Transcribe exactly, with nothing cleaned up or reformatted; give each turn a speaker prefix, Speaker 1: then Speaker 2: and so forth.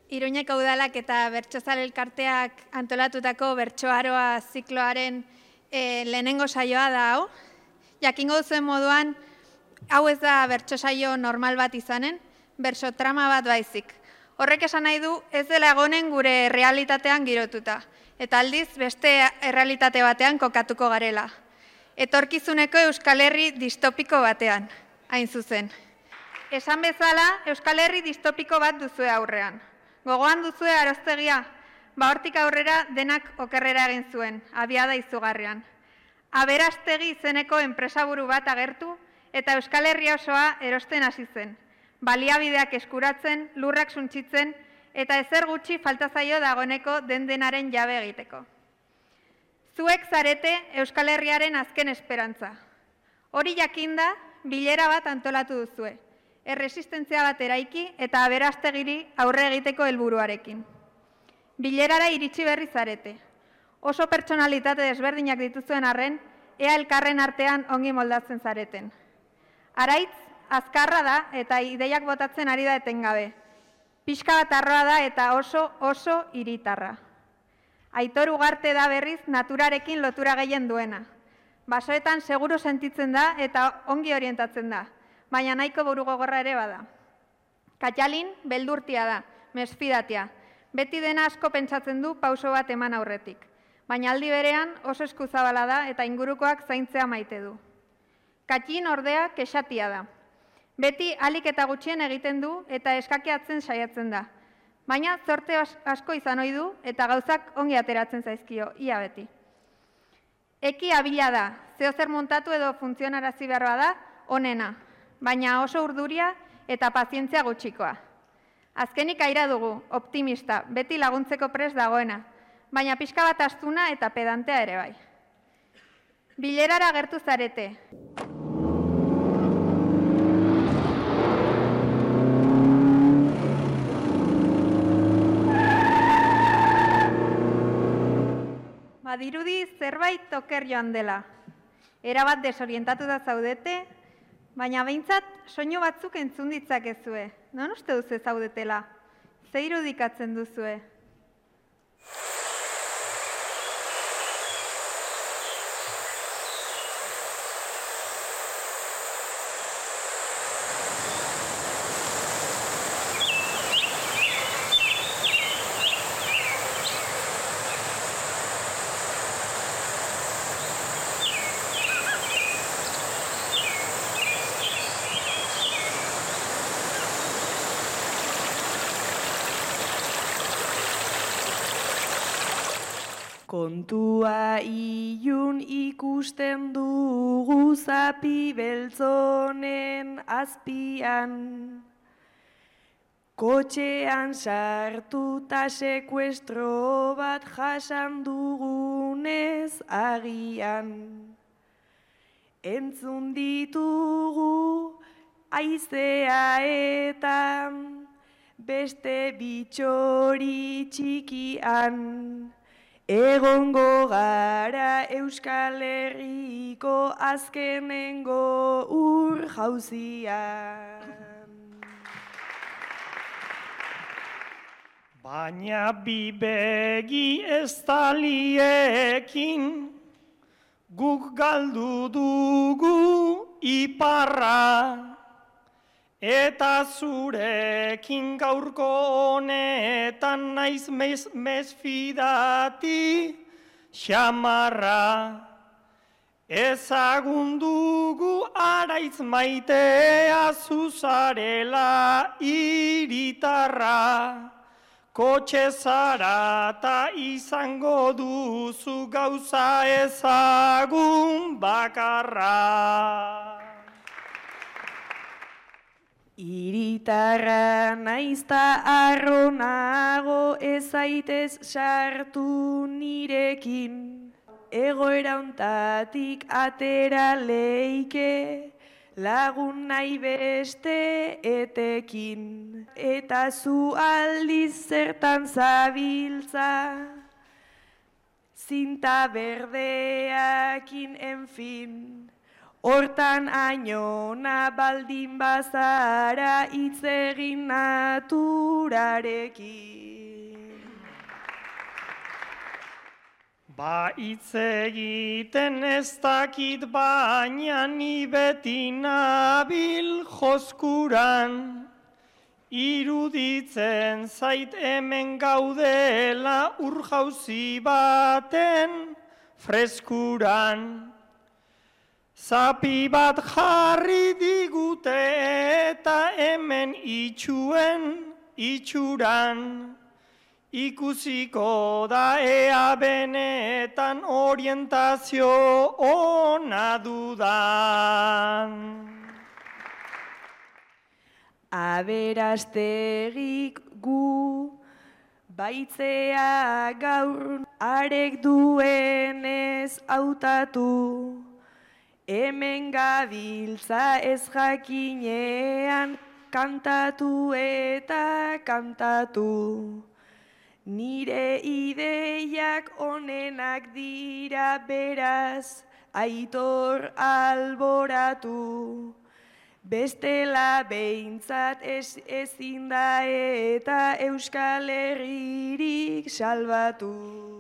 Speaker 1: Iruñeko udalak eta Bertsozale elkarteak antolatutako bertsoaroa zikloaren e, lehenengo saioa da hau. Jakingo duzuen moduan, hau ez da bertso saio normal bat izanen, bertso trama bat baizik. Horrek esan nahi du ez dela egonen gure realitatean girotuta, eta aldiz beste errealitate batean kokatuko garela. Etorkizuneko Euskal Herri distopiko batean, hain zuzen. Esan bezala, Euskal Herri distopiko bat duzue aurrean. Gogoan duzue Aroztegia, ba hortik aurrera denak okerrera egin zuen, abiada izugarrian. Aberastegi izeneko enpresaburu bat agertu eta Euskal Herria osoa erosten hasi zen. Baliabideak eskuratzen, lurrak suntsitzen eta ezer gutxi falta zaio dagoeneko den-denaren jabe egiteko. Zuek zarete Euskal Herriaren azken esperantza. Hori jakinda, bilera bat antolatu duzue. Erresistentzia bat eraiki eta aberastegiri aurre egiteko helburuarekin. Bilerara iritsi berri zarete. Oso pertsonalitate desberdinak dituzuen arren, ea elkarren artean ongi moldatzen zareten. Araitz, azkarra da eta ideiak botatzen ari da etengabe. Pixka bat arroa da eta oso, oso hiritarra. Aitor Ugarte da berriz naturarekin lotura gehien duena. Basoetan seguru sentitzen da eta ongi orientatzen da. Baina nahiko burugogorra ere bada. Katxalin beldurtia da, mesfidatia. Beti dena asko pentsatzen du pauso bat eman aurretik. Baina aldi berean oso eskuzabala da eta ingurukoak zaintzea maite du. Katxin ordea kexatia da. Beti alik eta gutxien egiten du eta eskakeatzen saiatzen da. Baina zorte asko izan ohi du eta gauzak ongi ateratzen zaizkio, ia beti. Eki abila da, zeozer montatu edo funtzionarazi beharra da, onena. Baina oso urduria eta pazientzia gutxikoa. Azkenik aira dugu, optimista, beti laguntzeko prest dagoena, baina pixka bat astuna eta pedantea ere bai. Bilerara gertu zarete. Badirudi zerbait oker joan dela. Erabat desorientatu da zaudete, baina behintzat, soinu batzuk entzun ditzakezue. Non uste duzu zaudetela? Ze irudikatzen duzue?
Speaker 2: Kontua ilun ikusten dugu zapi beltzonen azpian. Kotxean sartuta sekuestro bat jasan dugunez agian. Entzun ditugu haizea eta beste bitxori txikian. Egongo gara Euskal Herriko azkenengo ur jauzian.
Speaker 3: Baina bi begi ez taliekin guk galdu dugu iparra. Eta zurekin gaurko honetan naiz mesfidati xamarra. Ezagun dugu araitz maitea zuzarela iritarra. Kotxe zarata izango duzu gauza ezagun bakarra.
Speaker 2: Iritarra naizta arronago ezaitez sartu nirekin. Egoera hontatik atera leike lagun nahi beste etekin. Eta zu aldiz zertan zabiltza, zinta berdeakin, en fin. Hortan ainona baldin bazara hitz egin naturarekin.
Speaker 3: Ba hitz egiten ez dakit baina ni beti nabil joskuran. Iruditzen zait hemen gaudela ur jauzi baten freskuran. Zapi bat jarri digute eta hemen itxuen itxuran. Ikusiko da ea benetan orientazio ona dudan.
Speaker 2: Aberastegik gu baitzea gaur arek duenez hautatu. Hemen gabiltza ez jakinean kantatu eta kantatu. Nire ideiak onenak dira beraz aitor alboratu. Bestela behintzat ez, ezin da eta Euskal Herririk salbatu.